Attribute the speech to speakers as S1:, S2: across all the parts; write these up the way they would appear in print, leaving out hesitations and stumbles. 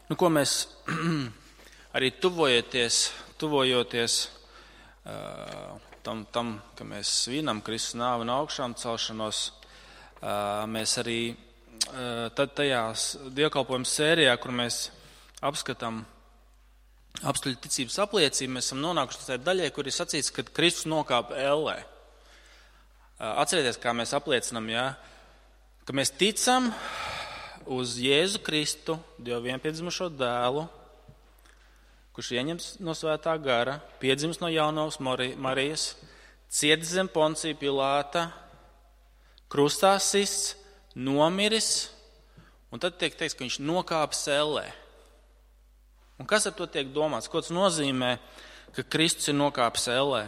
S1: Ko mēs arī tuvojoties tam, ka mēs svinam Kristus nāvi un augšām celšanos, mēs arī tad tajās dievkalpojuma sērijā, kur mēs apskatām apstuļu ticības apliecību, mēs esam nonākuši tajā daļai, kur ir sacīts, ka Kristus nokāpa ellē. Atcerieties, kā mēs apliecinam, ka mēs ticam uz Jēzu Kristu, Dieva vienpiedzimušo dēlu, kurš ieņems no svētā gara, piedzimis no jaunavas Marijas, cietis zem Poncija Pilāta, krustā sists, nomiris, un tad tiek teikts, ka viņš nokāpis ellē. Un kas ar to tiek domāts? Ko tas nozīmē, ka Kristus ir nokāpis ellē?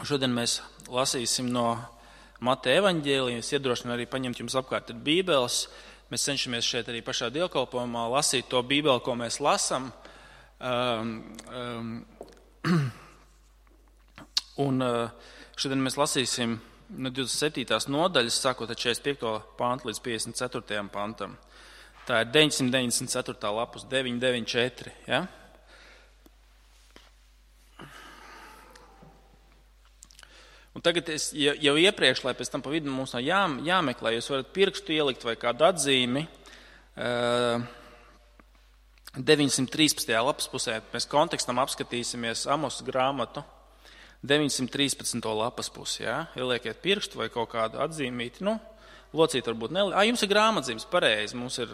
S1: Šodien mēs lasīsim no Mateja evaņģēlija. Es iedrošinu arī paņemt jums apkārt ar bībeles. Mēs cenšamies šeit arī pašā dievkalpojumā lasīt to bībeli, ko mēs lasam. Un šodien mēs lasīsim no 27. nodaļas, sākot ar 45. pantu līdz 54. pantam. Tā ir 994. lapus, 994. Ja? Un tagad es jau iepriekš, lai pēc tam pa vidu mums nav jāmeklē, jūs varat pirkstu ielikt vai kādu atzīmi. 913. lapas pusē mēs kontekstam apskatīsimies Amos grāmatu. 913. lapas pusi, ieliekiet pirkstu vai kaut kādu atzīmīti. Locīt varbūt neliek. Jums ir grāmatzīmes, pareizi. Mums ir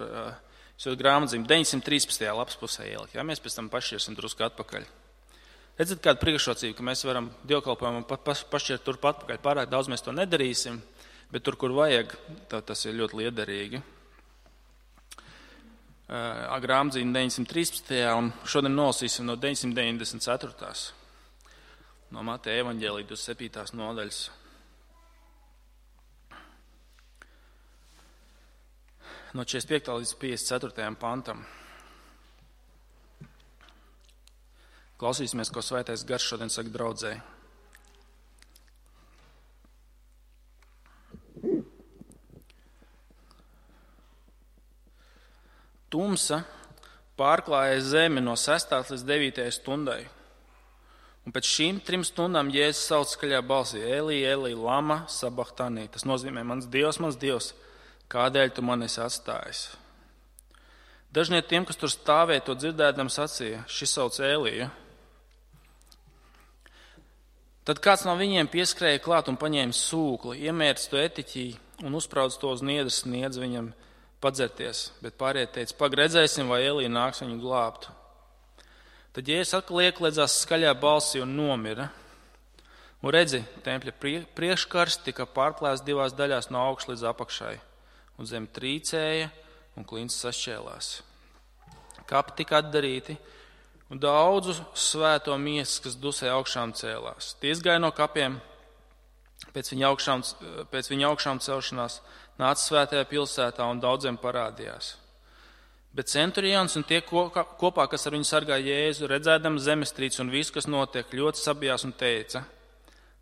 S1: grāmatzīme 913. lapas pusē ielikt. Mēs pēc tam pašķirsim drusku atpakaļ. Redzat, kāda priekšrocība, ka mēs varam dievkalpojumam pašķirt turpat atpakaļ. Pārāk daudz mēs to nedarīsim, bet tur, kur vajag, tas ir ļoti liederīgi. Grāmatzīme 913. un šodien nolasīsim no 994. No Mateja evaņģēlija 27. nodaļas. No 45. līdz 54. pantam. Klausīsimies, ko Svētais Gars šodien saka draudzēji. Tumsa pārklāja zemi no 6. līdz 9. stundai. Un pēc šīm 3 stundām Jēzus sauc skaļā balsī: Elī, Elī, lama sabachthani. Tas nozīmē: mans Dievs, kādēļ tu mani esi atstājis? Daži no tiem, kas tur stāvēja, to dzirdēdam sacīja: šis sauc Eliju. Tad kāds no viņiem pieskrēja klāt un paņēma sūkli, iemērca to etiķī un uzspraudz to uz niedres, sniedz viņam padzerties. Bet pārējie teica: redzēsim, vai Elija nāks viņu glābt. Tad Jēzus atkal ieklēdzās skaļā balsī un nomira. Un redzi, tempļa priekškars tika pārplēsts 2 daļās no augšas līdz apakšai, un zem trīcēja un klints sašķēlās. Kapi tika atdarīti, un daudzu svēto miesas, kas dusē augšām cēlās. Tie izgāja no kapiem, pēc viņa augšām celšanās, nāca svētajā pilsētā un daudziem parādījās. Bet centurions un tie kopā, kas ar viņu sargāja Jēzu, redzēdam zemestrīci un visu, kas notiek, ļoti sabijās un teica: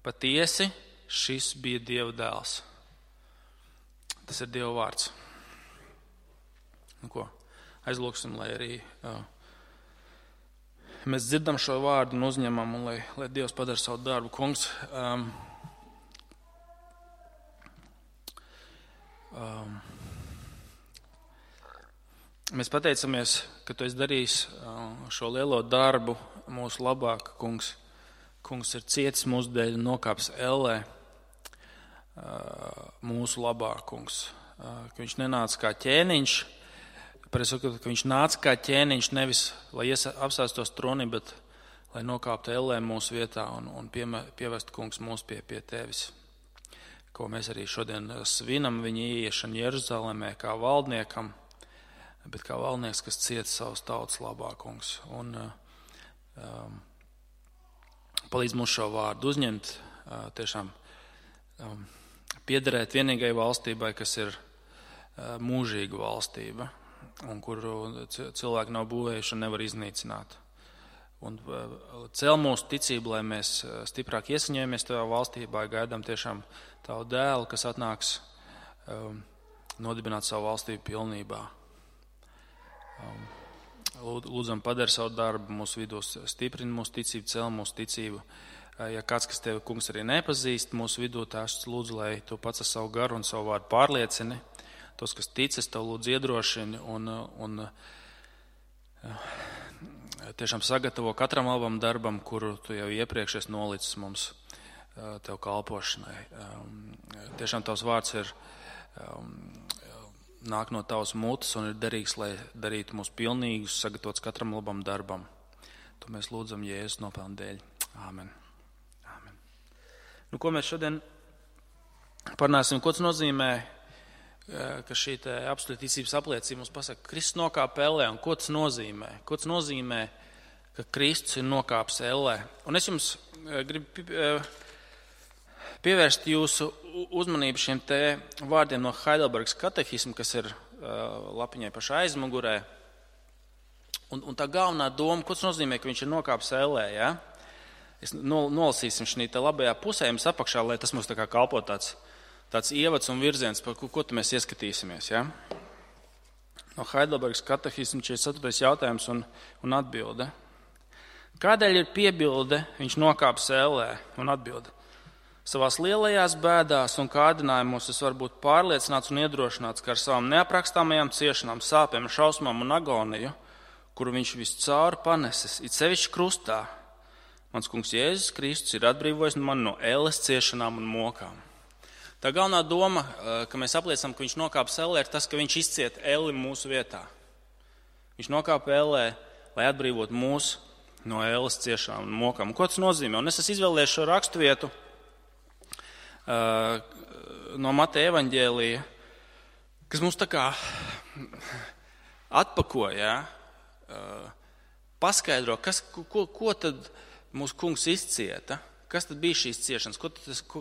S1: patiesi, šis bija Dieva dēls. Tas ir Dieva vārds. Aizlūksim, lai arī mēs dzirdam šo vārdu un uzņemam, un lai Dievs padara savu darbu. Kungs, mēs pateicamies, ka tu esi darījis šo lielo darbu mūsu labāk, kungs. Kungs ir cietis mūsu dēļ un nokāpis ellē mūsu labāk, kungs. Ka viņš nenāca kā ķēniņš, ka viņš nāca kā ķēniņš nevis, lai apsēstos tronī, bet lai nokāptu ellē mūsu vietā un pievestu, kungs, mūs pie tevis. Ko mēs arī šodien svinam viņa ieiešanu Jeruzalemē kā valdniekam, bet kā valdnieks, kas cieta savus tautas labā, kungs. Un palīdz mums šo vārdu uzņemt, tiešām piederēt vienīgai valstībai, kas ir mūžīga valstība, un kuru cilvēki nav būvējuši un nevar iznīcināt. Un cel mūsu ticību, lai mēs stiprāk iesaņojamies tajā valstībā, gaidām tiešām tavu dēlu, kas atnāks nodibināt savu valstību pilnībā. Lūdzam, padara savu darbu mūsu vidū, stiprini mūsu ticību, cel mūsu ticību. Ja kāds, kas tevi, kungs, arī nepazīst mūsu vidū, tās lūdzu, lai tu pats ar savu garu un savu vārdu pārliecini. Tos, kas ticas, tev lūdzu iedrošini un tiešām sagatavo katram labam darbam, kuru tu jau iepriekš esi nolicis mums tev kalpošanai. Tiešām tavs vārds ir nāk no tavas mutes un ir derīgs, lai darītu mūs pilnīgus, sagatavots katram labam darbam. To mēs lūdzam Jēzus nopelnu dēļ. Āmen. Āmen. Nu, ko mēs šodien parunāsim? Ko tas nozīmē, ka šī apstuļu ticības apliecība mums pasaka, ka Kristus nokāpa ellē, un ko tas nozīmē? Ko tas nozīmē, ka Kristus ir nokāpis ellē? Un es jums gribu pievērst jūsu uzmanību šiem te vārdiem no Heidelbergas katehisma, kas ir lapiņai pašā aizmugurē. Un tā galvenā doma, ko tas nozīmē, ka viņš ir nokāpis ellē, ja? Es nolasīsim šī te labajā pusē, jums apakšā, lai tas mums tā kā kalpo tāds ievads un virziens, par ko mēs ieskatīsimies. Ja? No Heidelbergas katehisma 44. jautājums un atbilde. Kādēļ ir piebilde, viņš nokāpis ellē, un atbilde? Savās lielajās bēdās un kārdinājumos es varu būt pārliecināts un iedrošināts, ka ar savām neaprakstāmajām ciešanām, sāpēm, šausmām un agoniju, kuru viņš viscauri panesis, it sevišķi krustā, mans kungs Jēzus Kristus ir atbrīvojis mani no elles ciešanām un mokām. Tā galvenā doma, ka mēs apliecinām, ka viņš nokāpa ellē, ir tas, ka viņš izciet elli mūsu vietā. Viņš nokāpa ellē, lai atbrīvotu mūs no elles ciešanām un mokām. Un ko tas nozīmē? Un es esmu izvēlējies šo raksturvietu no Mateja evaņģēlija, kas mums tā kā atpakoja, paskaidro, ko tad mūsu kungs izcieta, kas tad bija šīs ciešanas,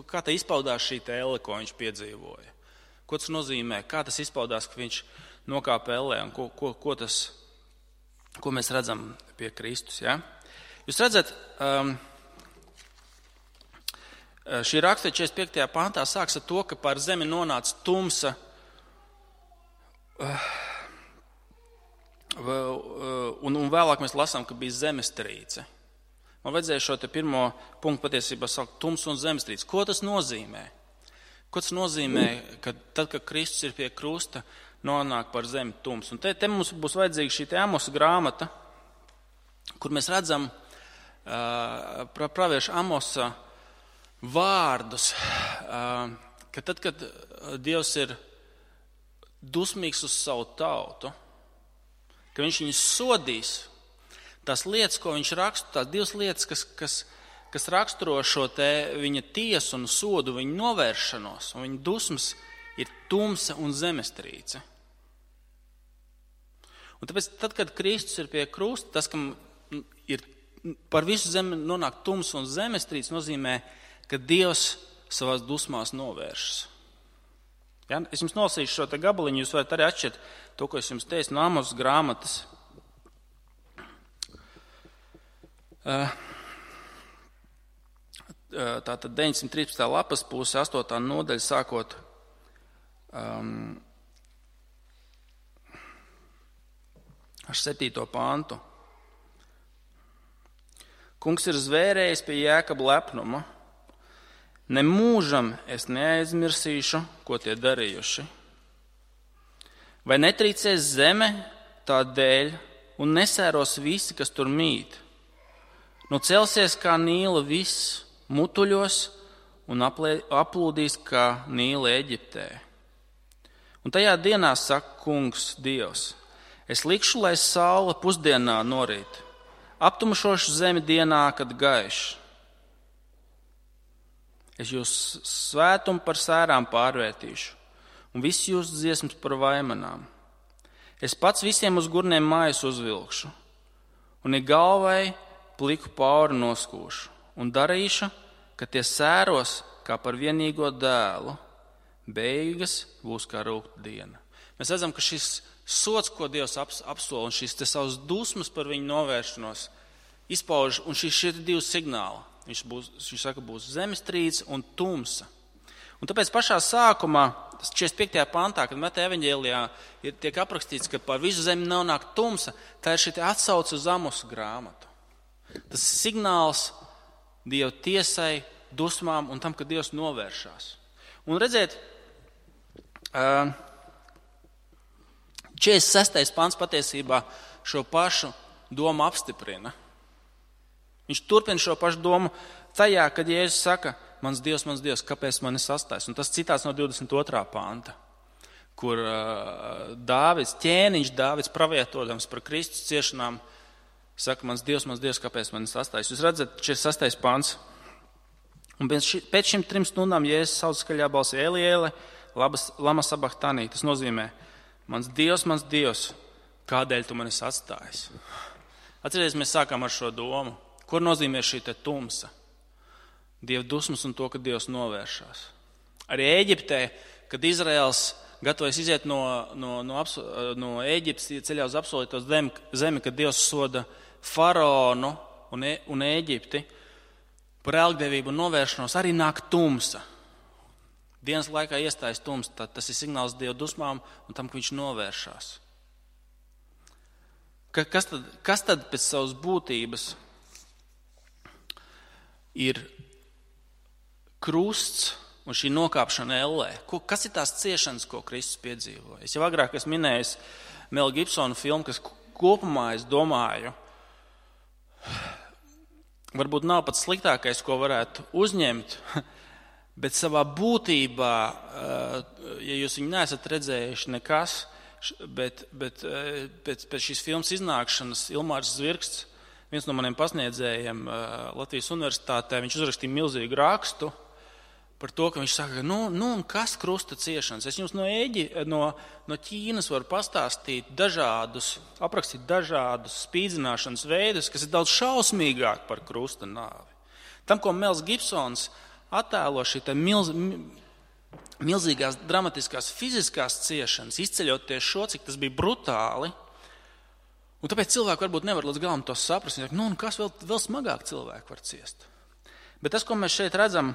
S1: kā tā izpaudās šī elle, ko viņš piedzīvoja. Ko tas nozīmē, kā tas izpaudās, ka viņš nokāpa ellē un ko mēs redzam pie Kristus. Ja? Jūs redzat, šī raksta 45. pantā sāks ar to, ka pār zemi nonāca tumsa un vēlāk mēs lasām, ka bija zemestrīce. Man vajadzēja šo te pirmo punktu patiesībā saukt tumsa un zemestrīce. Ko tas nozīmē? Ko tas nozīmē, ka tad, kad Kristus ir pie krusta, nonāk par zemi tums? Un te mums būs vajadzīga šī te Amosa grāmata, kur mēs redzam pravieša Amosa vārdus, ka tad, kad Dievs ir dusmīgs uz savu tautu, ka viņš viņus sodīs, tās lietas, ko viņš raksta, tās divas lietas, kas raksturo šo te viņa tiesu un sodu, viņa novēršanos, un viņa dusmas ir tumsa un zemestrīce. Un tāpēc, tad, kad Kristus ir pie krusta, tas, kam ir par visu zemi nonāk tumsa un zemestrīce, nozīmē, ka Dievs savās dusmās novēršas. Ja? Es jums nolasīšu šo te gabaliņu, jūs varat arī atšķirt to, ko es jums teicu no Amosas grāmatas. Tātad 913. lapas puse, 8. nodaļa, sākot ar 7. pantu. Kungs ir zvērējis pie Jēkaba lepnuma. Nemūžam es neaizmirsīšu, ko tie darījuši. Vai netrīcēs zeme tā dēļ un nesēros visi, kas tur mīt? Nu celsies kā Nīla viss mutuļos un aplūdīs kā Nīla Eģiptē. Un tajā dienā saka kungs Dievs, es likšu, lai saule pusdienā norīt, aptumšošu zemi dienā, kad gaiš. Es jūs svētumu par sērām pārvērtīšu, un visu jūsu dziesmas par vaimanām. Es pats visiem uz gurniem mājas uzvilkšu, un ik galvai pliku pauri noskūšu, un darīšu, ka tie sēros kā par vienīgo dēlu, beigas būs kā rūkta diena. Mēs redzam, ka šis sods, ko Dievs apsola, un šis te savas dusmas par viņu novēršanos, izpauž, un šie divi signāli. Viņš saka, būs zemestrīce un tumsa. Un tāpēc pašā sākumā tas 45. pantā, kad Mateja evaņģēlijā tiek aprakstīts, ka par visu zemi nonāk tumsa, tā ir šī atsauce uz Amosa grāmatu. Tas signāls Dieva tiesai, dusmām un tam, ka Dievs novēršās. Un redziet, 46. pants patiesībā šo pašu domu apstiprina. Viņš turpina šo pašu domu tajā, kad Jēzus saka, mans Dievs, kāpēc mani sastājas? Un tas citāts no 22. panta, kur Dāvids pravietodams par Kristus ciešanām, saka, mans Dievs, kāpēc mani sastājas? Jūs redzat, 46. pants. Un pēc šīm 3 stundām Jēzus sauc skaļā balsī Eli, Eli, lama sabachthani. Tas nozīmē, mans Dievs, kādēļ tu manis atstājies? Atcerieties, mēs sākām ar šo domu. Ko nozīmē šī te tumsa? Dieva dusmas un to, ka Dievs novēršās. Arī Ēģiptē, kad Izraels gatavojas iziet no Ēģiptes, ceļā uz apsolīto zemi, kad Dievs soda faraonu un Ēģipti par ēlgdevību un novēršanos, arī nāk tumsa. Dienas laikā iestājas tumsa, tad tas ir signāls Dieva dusmām un tam, ka viņš novēršās. Kas tad pēc savas būtības ir krusts un šī nokāpšana ellē? Kas ir tās ciešanas, ko Kristus piedzīvoja? Es jau agrāk esmu minējis Mela Gibsona filmu, kas kopumā, es domāju, varbūt nav pats sliktākais, ko varētu uzņemt, bet savā būtībā, ja jūs viņu neesat redzējuši nekas, bet pēc šīs filmas iznākšanas Ilmārs Zvirksts, viens no maniem pasniedzējiem Latvijas universitātē, viņš uzrakstīja milzīgu rakstu par to, ka viņš saka, kas krusta ciešanas? Es jums no Ķīnas varu pastāstīt aprakstīt dažādus spīdzināšanas veidus, kas ir daudz šausmīgāk par krusta nāvi. Tam, ko Mels Gibsons attēlo šī milzīgās dramatiskās fiziskās ciešanas, izceļot tieši šo, cik tas bija brutāli, un tāpēc cilvēki varbūt nevar līdz galam to saprast. Kas vēl smagāk cilvēki var ciest? Bet tas, ko mēs šeit redzam,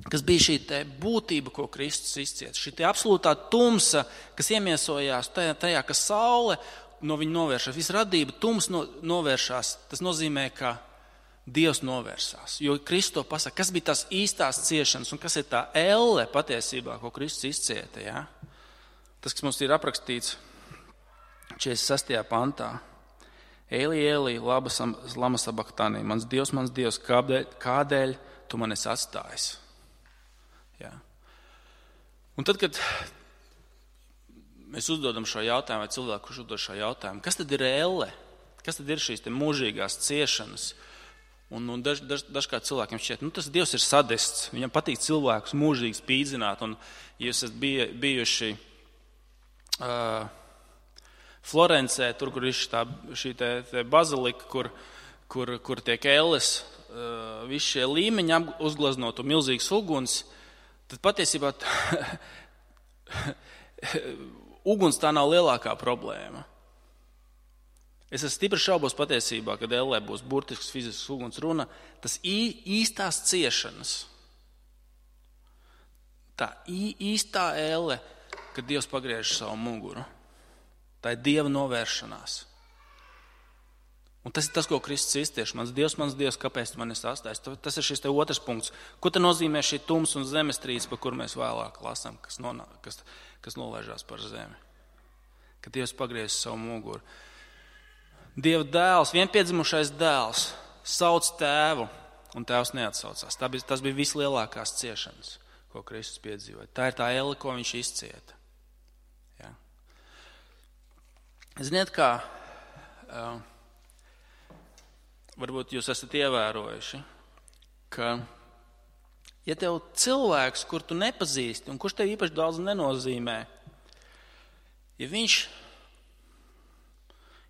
S1: kas bija šī būtība, ko Kristus izcieta, šī absolūtā tumsa, kas iemiesojās tajā, ka saule no viņa novēršas, visa radība tumsa novēršās, tas nozīmē, ka Dievs novērsās. Jo Kristus to pasaka, kas bija tās īstās ciešanas un kas ir tā elle patiesībā, ko Kristus izcieta. Ja? Tas, kas mums ir aprakstīts 46. pantā. Eli, Eli, lama sabachthani, mans Dievs, kādēļ tu mani esi atstājis? Ja? Un tad, kad mēs uzdodam šo jautājumu, vai cilvēku, kurš uzdod šo jautājumu, kas tad ir elle? Kas tad ir šīs mūžīgās ciešanas? Un dažkārt cilvēkiem šķiet, tas Dievs ir sadists, viņam patīk cilvēkus mūžīgi spīdzināt, un ja jūs esat bijuši Florencē, tur, kur ir šī bazilika, kur tiek elles, visi šie līmeņi uzgleznot un milzīgs uguns, tad patiesībā uguns tā nav lielākā problēma. Es esmu stipri šaubos patiesībā, kad ellē būs burtisks fizisks uguns runa, tas īstās ciešanas. Tā īstā elle, kad Dievs pagriež savu muguru. Tā ir Dieva novēršanās. Un tas ir tas, ko Kristus izcieš. Mans Dievs, kāpēc tu mani sastājies? Tas ir šis otrs punkts. Ko tad nozīmē šī tums un zemestrīce, par kur mēs vēlāk lasām, kas nolaižās par zemi? Kad Dievs pagriež savu muguru. Dieva dēls, vienpiedzimušais dēls, sauc tēvu, un tēvs neatsaucās. Tas bija vislielākās ciešanas, ko Kristus piedzīvoja. Tā ir tā elle, ko viņš izcieta. Ja? Ziniet, kā varbūt jūs esat ievērojuši, ka ja tev cilvēks, kur tu nepazīsti un kurš tev īpaši daudz nenozīmē, ja viņš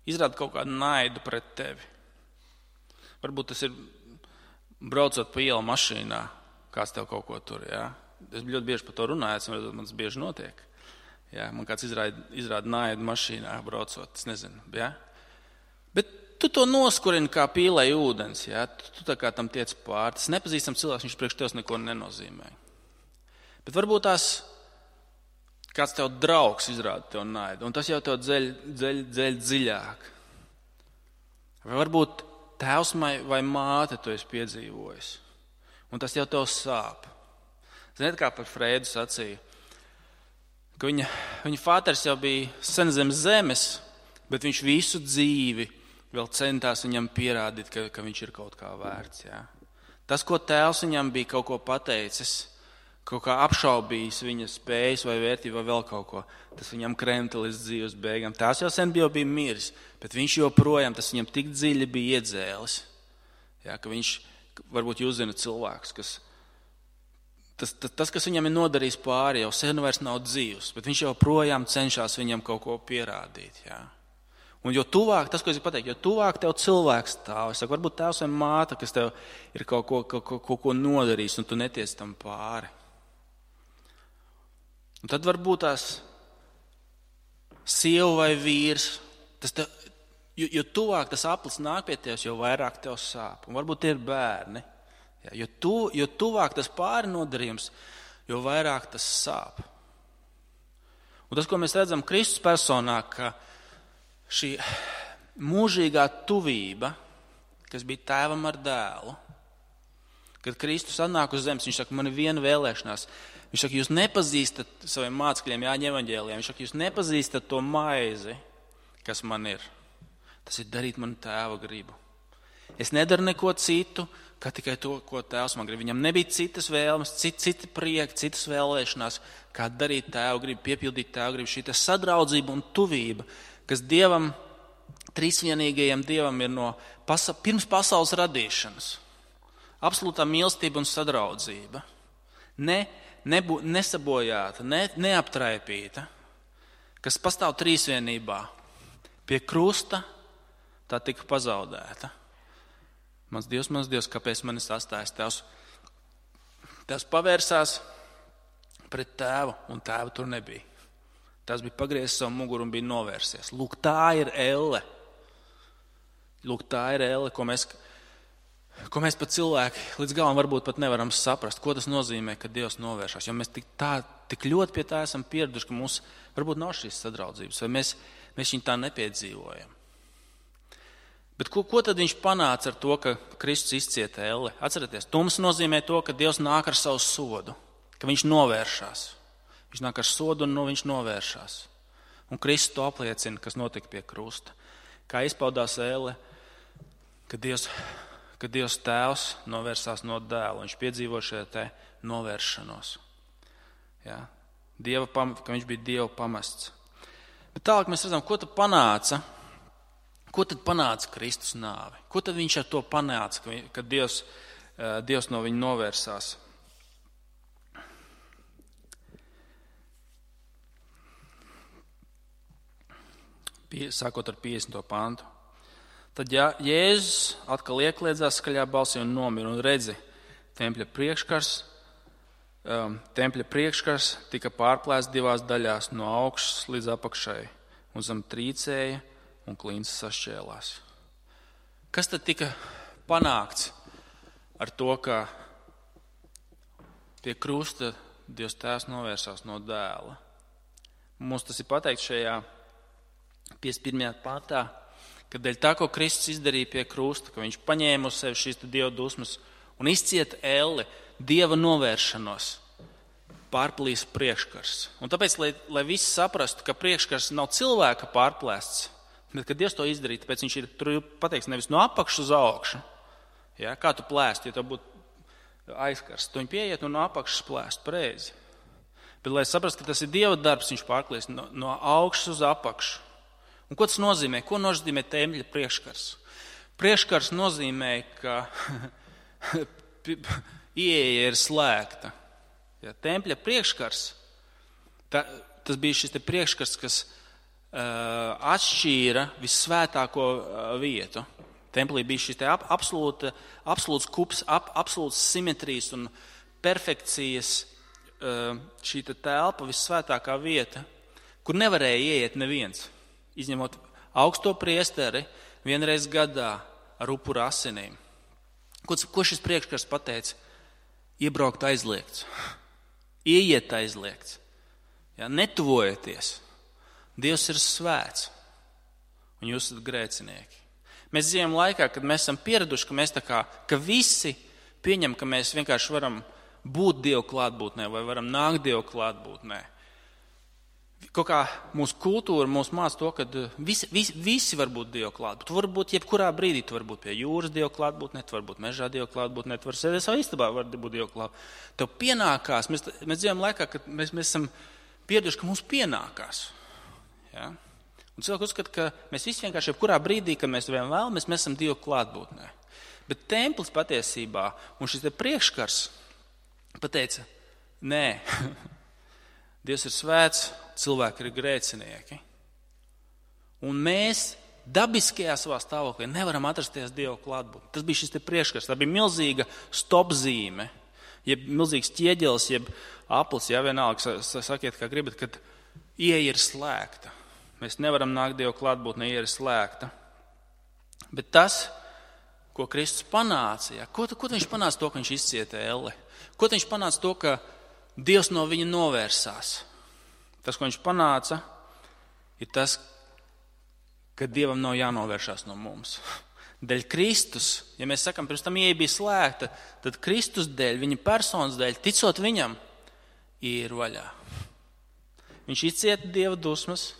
S1: izrāda kaut kādu naidu pret tevi. Varbūt tas ir braucot pa ielu mašīnā, kāds tev kaut ko tur, jā. Es ļoti bieži par to runāju, man tas bieži notiek. Jā, man kāds izrāda naidu mašīnā braucot, es nezinu, jā. Bet tu to noskurini kā pīlei ūdens, jā. Tu tā kā tam tiec pār. Tas nepazīstams cilvēks, viņš priekš tevis neko nenozīmē. Bet varbūt tās kāds tev draugs izrāda tev naidu, un tas jau tev dzeļ dziļāk. Vai varbūt tēvs vai māte tu esi piedzīvojis, un tas jau tev sāp. Ziniet, kā par Freidu sacīja, ka viņa fāters jau bija sen zem zemes, bet viņš visu dzīvi vēl centās viņam pierādīt, ka viņš ir kaut kā vērts. Jā. Tas, ko tēvs viņam bija kaut ko pateicis, kaut kā apšaubījis viņa spējas vai vērtību vai vēl kaut ko, tas viņam krenta līdz dzīves beigām. Tās jau sen bija miris, bet viņš joprojām, tas viņam tik dziļi bija iedzēlis. Jā, ka viņš, varbūt jūs zināt cilvēks, tas, kas viņam ir nodarījis pāri, jau sen vairs nav dzīvs, bet viņš joprojām cenšas viņam kaut ko pierādīt. Jā. Un jo tuvāk, tas, ko es pateicu, jo tuvāk tev cilvēks stāv, es saku, varbūt tēvs vai māte, kas tev ir kaut ko nodarījis, un tu neties tam pāri. Un tad varbūt tās sieva vai vīrs, jo tuvāk tas aplis nāk pie tevis, jo vairāk tev sāp. Un varbūt tie ir bērni. Jā, jo tuvāk tas pāri nodarījums, jo vairāk tas sāp. Un tas, ko mēs redzam Kristus personā, ka šī mūžīgā tuvība, kas bija tēvam ar dēlu, kad Kristus atnāk uz zemes, viņš saka, man ir viena vēlēšanās. Viņš saka, jūs nepazīstat saviem mācekļiem, Jāņa evaņģēlijā, viņš saka, jūs nepazīstat to maizi, kas man ir. Tas ir darīt manu tēva gribu. Es nedaru neko citu, kā tikai to, ko tēvs man grib. Viņam nebija citas vēlmes, citi prieki, citas vēlēšanās, kā darīt tēva gribu, piepildīt tēva gribu. Šī sadraudzība un tuvība, kas Dievam, trīsvienīgajam Dievam ir no pirms pasaules radīšanas. Absolūtā mīlestība un sadraudzība. Nesabojāta, neaptraipīta, kas pastāv trīsvienībā. Pie krusta tā tika pazaudēta. Mans Dievs, kāpēc man ir atstājis tēvs? Tēvs pavērsās pret tēvu, un tēva tur nebija. Tēvs bija pagriezis savu muguru un bija novērsies. Lūk, tā ir elle. Lūk, tā ir elle, ko mēs pat cilvēki līdz galam varbūt pat nevaram saprast, ko tas nozīmē, ka Dievs novēršas. Jo mēs tik ļoti pie tā esam pieraduši, ka mums varbūt nav šīs sadraudzības, vai mēs viņu tā nepiedzīvojam. Bet ko tad viņš panāca ar to, ka Kristus izcieta elle? Atcerieties, tums nozīmē to, ka Dievs nāk ar savu sodu, ka viņš novēršas. Viņš nāk ar sodu un viņš novēršas. Un Kristus to apliecina, kas notika pie krusta. Kā izpaudās elle, ka Dievs tēvs novērsās no dēla. Viņš piedzīvo šo te novēršanos. Ja? Ka viņš bija Dieva pamests. Bet tālāk mēs redzam, ko tad panāca? Ko tad panāca Kristus nāve? Ko tad viņš ar to panāca, kad Dievs no viņa novērsās? Sākot ar 50. pantu. Tad Jēzus atkal iekliedzās skaļā balsī un nomira, un redzi, tempļa priekškars tika pārplēsts divās daļās, no augšas līdz apakšai, un zem trīcēja, un klints sašķēlās. Kas tad tika panākts ar to, ka pie krusta Dievs tēvs novērsās no dēla? Mums tas ir pateikts šajā 51. pantā, ka dēļ tā, ko Kristus izdarīja pie krusta, ka viņš paņēma uz sevi šīs Dieva dusmas un izcieta elli, Dieva novēršanos, pārplīs priekškars. Un tāpēc, lai visi saprastu, ka priekškars nav cilvēka pārplēsts, bet kad Dievs to izdarīja, tāpēc viņš ir tur pateikts nevis no apakšas uz augšu. Ja, kā tu plēst, ja tev būtu aizkarsts, tu viņu pieiet un no apakšas plēst pareizi. Bet, lai saprastu, ka tas ir Dieva darbs, viņš pārplīs no augšas uz apakšu. Un ko tas nozīmē? Ko nozīmē tempļa priekškars? Priekškars nozīmē, ka ieeja ir slēgta. Ja, tempļa priekškars, tas bija šis te priekškars, kas atšķīra vissvētāko vietu. Templī bija šis te absolūts kups, absolūts simetrijas un perfekcijas šī te telpa, vissvētākā vieta, kur nevarēja ieiet neviens. Izņemot augsto priesteri vienreiz gadā ar upura asinīm. Ko šis priekškars pateica? Iebraukt aizliegts. Ieiet aizliegts. Ja, netuvojieties. Dievs ir svēts, un jūs esat grēcinieki. Mēs dzīvojam laikā, kad mēs esam pieraduši, ka visi pieņem, ka mēs vienkārši varam būt Dievu klātbūtnē vai varam nākt Dievu klātbūtnē. Kaut kā mūsu kultūra mūs māca to, ka visi var būt Dievu klātbūtnē. Tu vari būt jebkurā brīdī, tu vari būt pie jūras Dievu klātbūtnē, tu vari būt mežā Dievu klātbūtnē, tu vari sēdēt savā istabā, var būt Dievu klātbūtnē. Tev pienākās, mēs dzīvojam laikā, kad mēs esam pieraduši, ka mums pienākās. Ja? Un cilvēki uzskata, ka mēs visi vienkārši jebkurā brīdī, kad mēs vien vēlamies, mēs esam Dievu klātbūtnē. Bet templis patiesībā un šis te priekškars pateica, nē, Dievs ir svēts, cilvēki ir grēcinieki. Un mēs dabiskajā savā stāvoklī nevaram atrasties Dieva klātbūtnē. Tas bija šis te priekškars, tā bija milzīga stopzīme, jeb milzīgs ķieģelis, jeb aplis, ja vienalga, sakiet, kā gribat, kad ieeja ir slēgta. Mēs nevaram nākt Dieva klātbūtnē, ieeja ir slēgta. Bet tas, ko Kristus panāca, ja, ko viņš panāca to, ka viņš izcieta elli? Ko viņš panāca to, ka Dievs no viņa novērsās? Tas, ko viņš panāca, ir tas, ka Dievam nav jānovēršās no mums. Dēļ Kristus, ja mēs sakam, pirms tam ieeja bija slēgta, tad Kristus dēļ, viņa personas dēļ, ticot viņam, ir vaļā. Viņš izcieta Dieva dusmas,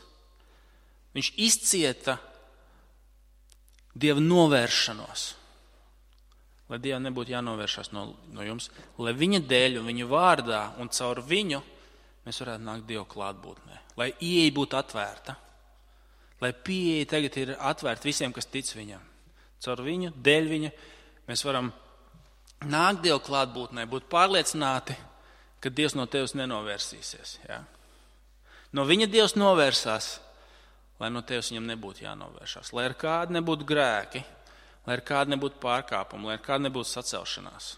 S1: viņš izcieta Dieva novēršanos. Lai Dievam nebūtu jānovēršās no jums, lai viņa dēļ un viņa vārdā un caur viņu mēs varētu nākt Dievu klātbūtnē. Lai ieeja būtu atvērta, lai pieeja tagad ir atvērta visiem, kas tic viņam. Caur viņu, dēļ viņa mēs varam nākt Dievu klātbūtnē, būt pārliecināti, ka Dievs no tevis nenovērsīsies. Ja? No viņa Dievs novērsās, lai no tevis viņam nebūtu jānovēršās. Lai ar kādu nebūtu grēki, lai ar kādu nebūtu pārkāpumi, lai ar kādu nebūtu sacelšanās.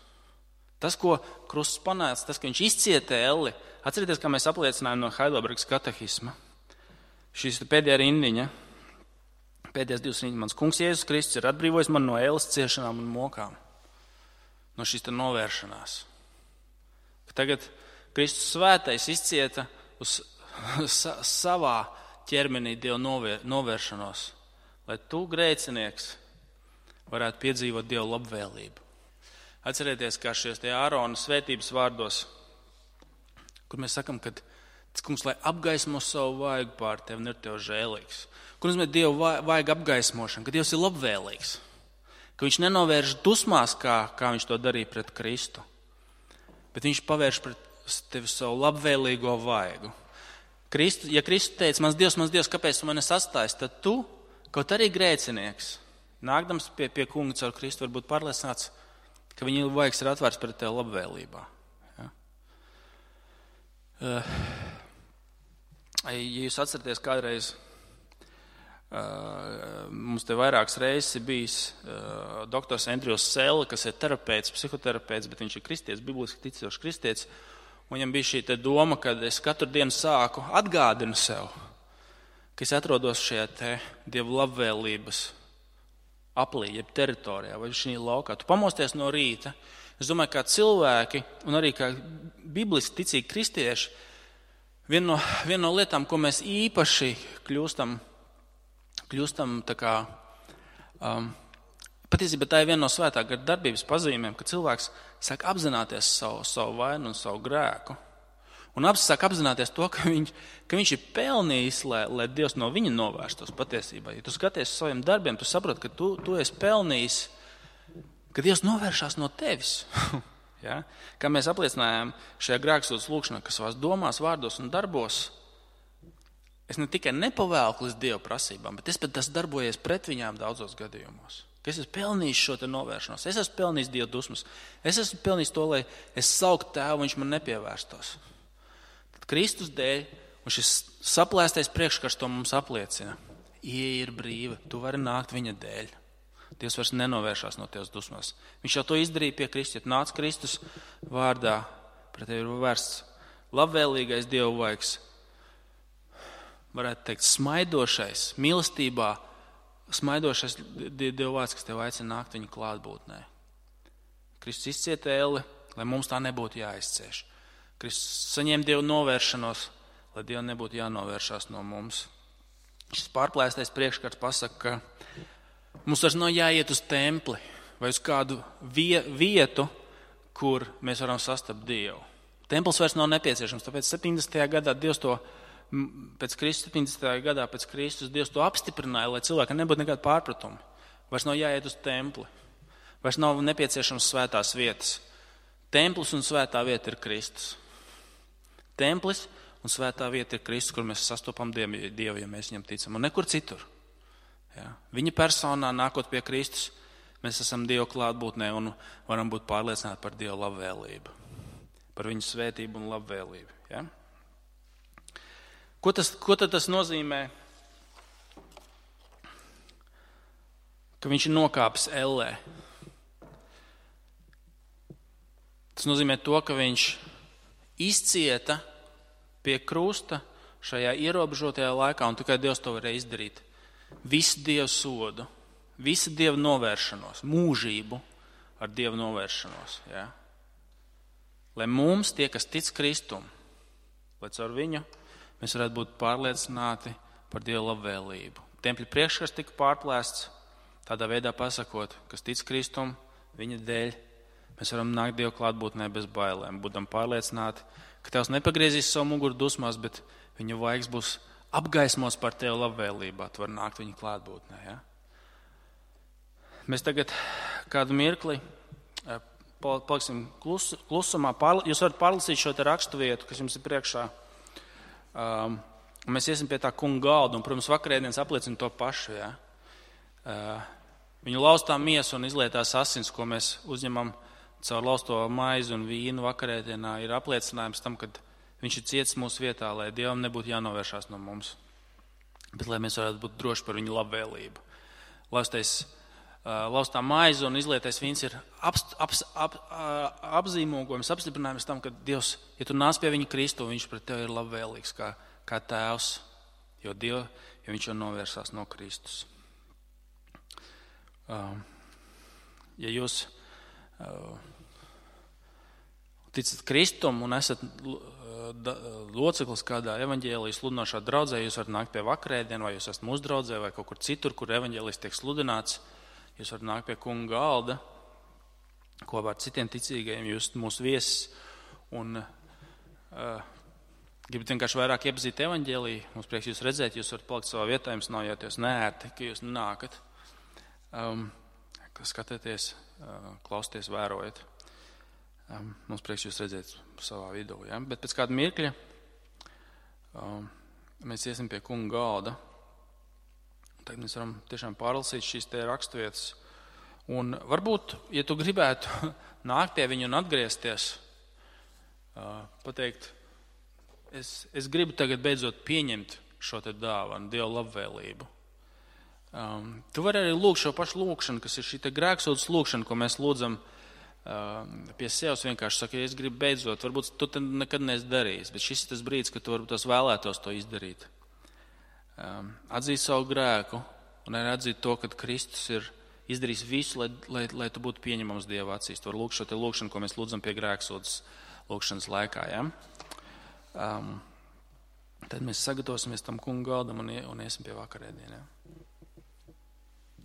S1: Tas, ko Krusts panāca, tas, ka viņš izcieta elli, atcerieties, kā mēs apliecinājām no Heidelbergas katehisma. Šīs pēdējā rindiņa, pēdējās 2 rindiņas, mans kungs Jēzus Kristus ir atbrīvojis man no ēles ciešanām un mokām, no šīs novēršanās. Tagad Kristus svētais izcieta uz savā ķermenī Dieva novēršanos, lai tu, grēcinieks, varētu piedzīvot Dieva labvēlību. Atcerieties, kā šajos te Ārona svētības vārdos, kur mēs sakam, ka kungs, lai apgaismo savu vaigu pār tevi un ir tev žēlīgs. Kur nozīmē Dieva vaiga apgaismošana, ka Dievs ir labvēlīgs, ka viņš nenovērš dusmās, kā viņš to darīja pret Kristu, bet viņš pavērš pret tevi savu labvēlīgo vaigu. Ja Kristus teica, mans Dievs, kāpēc tu mani sastājies, tad tu, kaut arī grēcinieks, nākdams pie kunga caur Kristu, varbūt pārliecināts, ka viņa vaigs ir atvērts pret tevi labvēlībā. Ja? Ja jūs atceraties, kādreiz mums te vairākas reizes ir bijis doktors Andrijs Sēle, kas ir terapeits, psihoterapeits, bet viņš ir kristietis, bibliski ticīgs kristietis. Un viņam bija šī doma, ka es katru dienu sāku atgādinu sev, ka es atrodos šajā te Dieva labvēlības aplī, jeb teritorijā vai šī laukā. Tu pamosties no rīta. Es domāju, kā cilvēki un arī kā bibliski ticīgi kristieši, viena no lietām, ko mēs īpaši kļūstam tā kā, patiesībā tā ir viena no svētā gara darbības pazīmēm, ka cilvēks sāk apzināties savu vainu un savu grēku. Un sāk apzināties to, ka viņš ir pelnījis, lai Dievs no viņa novērstos patiesībā. Ja tu skaties uz saviem darbiem, tu saproti, ka tu esi pelnījis, ka Dievs novēršās no tevis. Ja? Kā mēs apliecinājām šajā grēksūdzes lūkšanā, ka savās domās, vārdos un darbos es ne tikai nepavēlku līdz Dieva prasībām, bet es pat esmu darbojies pret viņām daudzos gadījumos. Ka es esmu pelnījis šo te novēršanos, es esmu pelnījis Dieva dusmas, es esmu pelnījis to, lai es sauktu Tēvu, viņš man nepievērstos. Tad Kristus dēļ, un šis saplēstais priekškars to mums apliecina, ieeja ir brīva, tu vari nākt viņa dēļ. Dievs vairs nenovēršās no tevis dusmās. Viņš jau to izdarīja pie Kristus, ja nāc Kristus vārdā, pret tevi ir vērsts labvēlīgais Dieva vaigs, varētu teikt, smaidošais, mīlestībā, smaidošais Dieva vārds, kas tev aicina nākt viņa klātbūtnē. Kristus izcieta elli, lai mums tā nebūtu jāizcieš. Kristus saņēma Dieva novēršanos, lai Dievam nebūtu jānovēršās no mums. Šis pārplēstais priekšskats pasaka, ka mums vairs nav jāiet uz templi vai uz kādu vietu, kur mēs varam sastapt Dievu. Templis vairs nav nepieciešams, tāpēc 70. gadā Dievs to, pēc Kristus 70. gadā pēc Kristus Dievs to apstiprināja, lai cilvēkam nebūtu nekāda pārpratuma. Vairs nav jāiet uz templi, vairs nav nepieciešams svētās vietas. Templis un svētā vieta ir Kristus. Templis un svētā vieta ir Kristus, kur mēs sastopam Dievu, ja mēs viņam ticam, un nekur citur. Ja? Viņa personā, nākot pie Kristus, mēs esam Dieva klātbūtnē un varam būt pārliecināti par Dieva labvēlību, par viņu svētību un labvēlību. Ja? Ko tad tas nozīmē, ka viņš ir nokāpis ellē? Tas nozīmē to, ka viņš izcieta pie krusta šajā ierobežotajā laikā, un tikai Dievs to varēja izdarīt. Visu Dievu sodu, visu Dievu novēršanos, mūžību ar Dievu novēršanos. Ja? Lai mums, tie, kas tic Kristum, lai caur viņu mēs varētu būt pārliecināti par Dievu labvēlību. Tempļa priekšskats tika pārplēsts, tādā veidā pasakot, kas tic Kristum, viņa dēļ, mēs varam nākt Dievu klātbūtnē bez bailēm, būdam pārliecināti, ka Tevs nepagriezīs savu muguru dusmās, bet viņa vaigs būs apgaismots par Tevu labvēlībā, tu var nākt viņa klātbūtnē. Ja? Mēs tagad kādu mirkli paliksim klusumā. Jūs varat pārlasīt šo te rakstu vietu, kas jums ir priekšā. Mēs iesim pie tā kunga galda, un, protams, vakarēdienas apliecina to pašu. Ja? Viņu laustā miesa un izlietās asins, ko mēs uzņemam caur lausto maizi un vīnu vakarēdienā, ir apliecinājums tam, ka viņš ir cietis mūsu vietā, lai Dievam nebūtu jānovēršās no mums, bet lai mēs varētu būt droši par viņu labvēlību. Laustā maize un izlietais vīns ir apzīmogojums, apstiprinājums tam, ka Dievs, ja tu nāc pie viņa Kristu, viņš pret tevi ir labvēlīgs kā tēvs, jo viņš jau novērsās no Kristus. Ja jūs ticat Kristum un esat loceklis kādā evaņģēlijas sludinošā draudzē, jūs varat nākt pie vakarēdienu, vai jūs esat mūsu draudzē, vai kaut kur citur, kur evaņģēlijs tiek sludināts, jūs varat nākt pie kunga galda, kopā ar citiem ticīgajiem, jūs esat mūsu viesis, un gribat vienkārši vairāk iepazīt evaņģēliju, mums prieks jūs redzēt, jūs varat palikt savā vietā, jums nav jāties neērti, ka jūs nākat, skatieties, klausieties, vērojat. Mums prieks jūs redzēt savā vidū. Ja? Bet pēc kāda mirkļa mēs iesim pie kunga galda. Tagad mēs varam tiešām pārlasīt šīs te raksturvietas. Un varbūt, ja tu gribētu nākt pie viņu un atgriezties, pateikt, es gribu tagad beidzot pieņemt šo te dāvanu, Dieva labvēlību. Tu vari arī lūgt šo pašu lūgšanu, kas ir šī te grēksūdzes lūgšana, ko mēs lūdzam pie sevis, vienkārši saka, ja es gribu beidzot, varbūt tu te nekad neesi darījis, bet šis ir tas brīdis, kad tu varbūt tos vēlētos to izdarīt. Atzīt savu grēku un arī atzīt to, ka Kristus ir izdarījis visu, lai tu būtu pieņemams Dieva acīs. Tu vari lūgt šo te lūgšanu, ko mēs lūdzam pie grēksūdzes lūgšanas laikā. Ja? Tad mēs sagatavosimies tam kunga galdam un iesim pie vakarēdieniem. Ja?